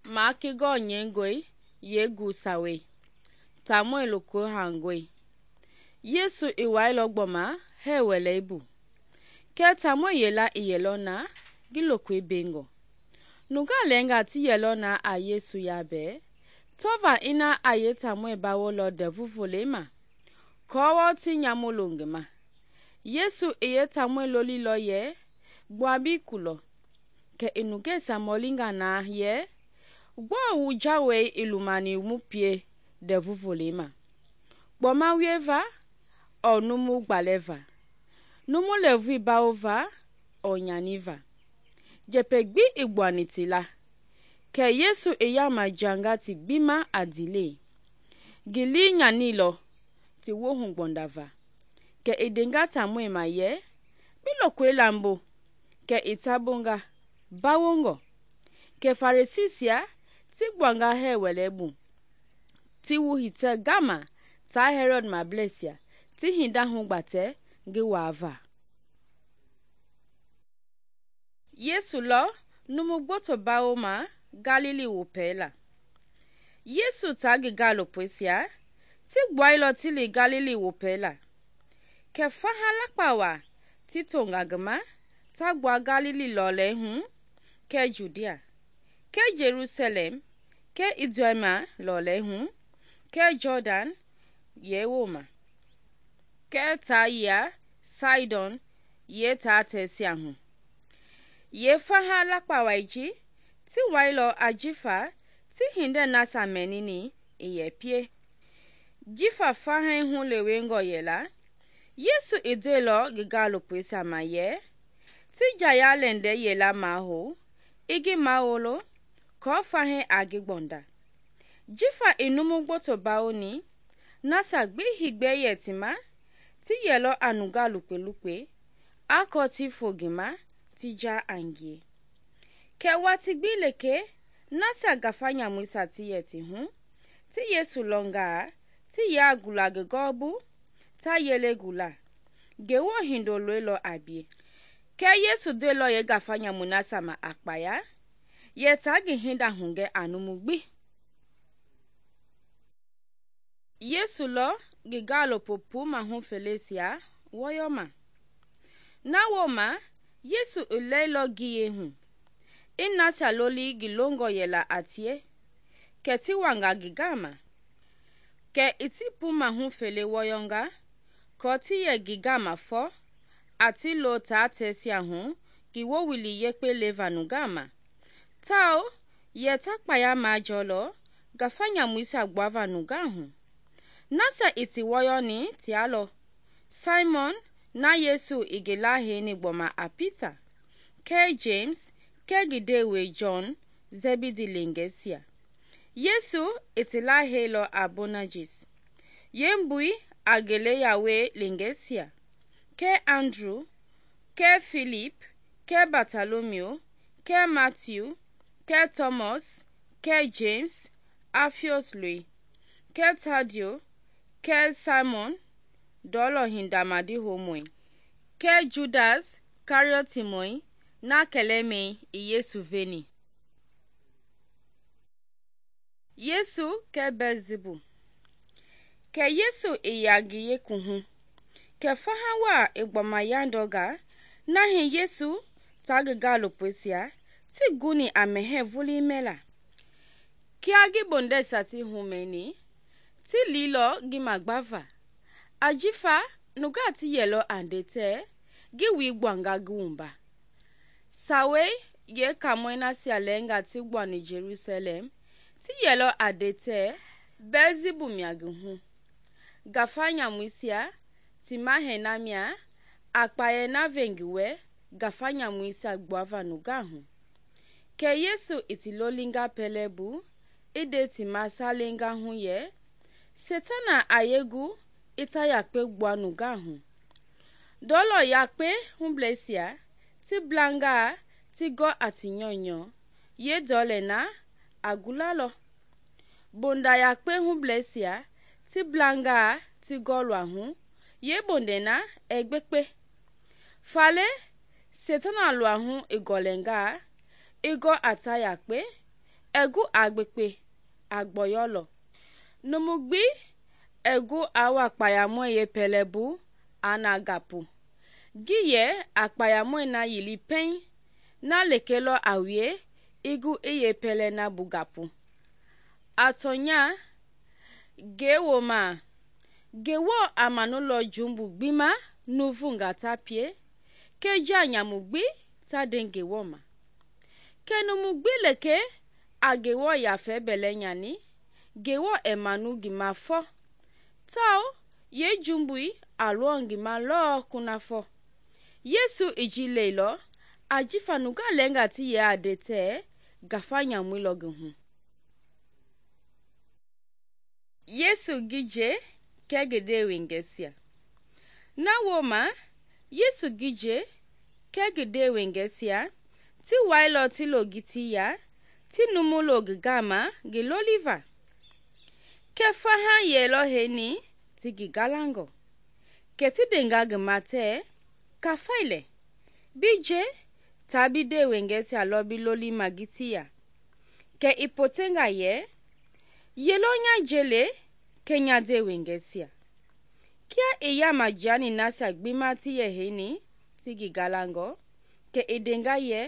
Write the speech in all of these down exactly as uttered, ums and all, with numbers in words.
makigo nyengoi yegu sawe tamoi loko hangoi Yesu iwailo gboma he weleibu ke tamoi yela iyelo na gilokwe bengo nuga lenga ti yelo na a Yesu yabe tova ina aye tamoi bawolo devuvulema kowo ti nyamolongema Yesu iye tamoi lolilo ye gbabi kulo ke inugesa molinga na ye gbo wujawe ilumani mupie devuvulema gboma wieva o numu gbaleva numu levui baova o nyaniva jepegbi igwanitila ke Yesu iyama jangati bima adile gili nyanilo ti wohu gbondava ke idenga tamoi maye bilokwe lambo ke itabonga bawongo ke Farisisia ti gbanga he welebu ti wuhite gama ta Herod mablesia ti hinda hungbate ngi wava Yesu lo numu gboto bawoma Galili wupela Yesu tagi galo poisia ti gboilo tili Galili wupela ke fahala kpawa ti tongagema ta gba Galili lole hu ke Judea ke Jerusalem ke Iduma lole hu ke Jordan yewoma ke Taya Sidon ye ta tesia hu ye fahala kpawaiji ti wailo ajifa ti hinde nasa menini iye pie jifa fahe hu lewengo yela Yesu idelo gigalo pwesa maye ti jaya lende yela maho igi maolo ko fahe agigbonda jifa inumu gboto baoni nasa gbi higbe yetima ti yelo anuga lupe-lupe ako ti fogima ti ja angie ke wati gbi leke nasa gafanya mwisa ti yeti hu ti Yesu longa ti ya gula gegobu ta yele gula gewo hindo lwelo abie ke Yesu delo ye gafanya munasa ma akpaya ye tagi hinda hunge anumugbi Yesu lo gigalo popu mahu Felesia woyoma na woma Yesu ulelo giye hu inasa loli gilongo yela atie ke ti wanga gigama ke itipu mahu fele woyonga ko ti ye gigama fo ati lo ta tesia hu giwo wili yekpe levanu gama tao ye takpaya majolo gafanya mwisa gbava nugahu nasa iti woyoni tialo Simon na Yesu igelahe ni gboma a Peter ke James ke gidewe John Zebidi lengesia Yesu itilahe lo Abonajis yembui agele yawe lengesia ke Andrew ke Philip ke Bartholomew ke Matthew ke Thomas ke James Alphaeus lui ke Tadio ke Simon dolo hindamadi homoi ke Judas Kariotimoi na keleme Yesu veni Yesu ke Beelzebul ke Yesu iyagiye kuhu ke fahawa igboma yandoga nahi Yesu tagigalo pwesia ti guni amehe vuli mela kiagi bonde sati humeni ti lilo gimagbava ajifa nuga ti yelo andete gi wi gbanga gumba sawe ye kamoina sialenga ti gbani Jerusalem ti yelo adete Beelzebul miaguhu gafanya mwisia ti mahenamia akpaye na vengiwe gafanya mwisa gbava nugahu ke Yesu itilolinga pelebu ide ti masalenga hu ye Setana ayegu ita yakpe gbanu gahu dolo yakpe humblesia ti blanga ti go atinyonyo ye dole na agulalo bonda yakpe humblesia ti blanga ti go lwahu ye bonde na egbekpe fale Setana lwahu igolenga igo atayakpe egu agbekpe agboyolo. Numu gbi egu awa kpayamɔi ye pɛlɛbu ana gapu. Gi ye akpayamɔi na yili pɛn na lekelɔ a wie igu iye pɛlɛ na bu gapu. Atɔnya gewoma Ngewɔ a manulɔ jumbu gbima nuvunga ta pie keja nyamu gbi ta de Ngewɔ ma. Ke numu gbi leke a Ngewɔ yafɛ bɛlɛ nyani, Ngewɔ ɛ manu ngi ma fɔ tao ye jumbui a lɔ ngi ma lɔ kunafɔ. Yesu i ji leilɔ ajifa nunga lɛnga ti ye a de tɛ gafa nyamui lɔ ngi hu. Yesu gije kɛ ngi ndewengɛsia. Na wooma Yesu gije kɛ ngi ndewengɛsia ti wailɔ ti lo ngiti ya ti numu lo ngi gama ngi loliva. Kɛ faha yɛlɔ heni ti ngi galangɔ. Kɛ ti ndenga ngi ma tɛ, kafailɛ, bi je ta bi ndewengɛsia lɔ bi lolima ngiti ya. Kɛ i potenga yɛ, yelɔ nya jele kɛ nya ndewengɛsia. Kia i yama jiani nasia gbima ti yɛ heni ti ngi galangɔ, kɛ i ndenga yɛ,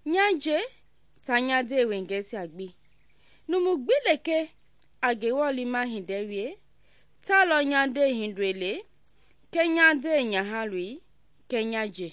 nya je ta nya ndewengɛsia gbi. Numu gbi leke a Ngewɔ lima hindɛ wie, ta lɔ nya nde hindoi le, kɛ nya nde nyahaloi, kɛ nya je.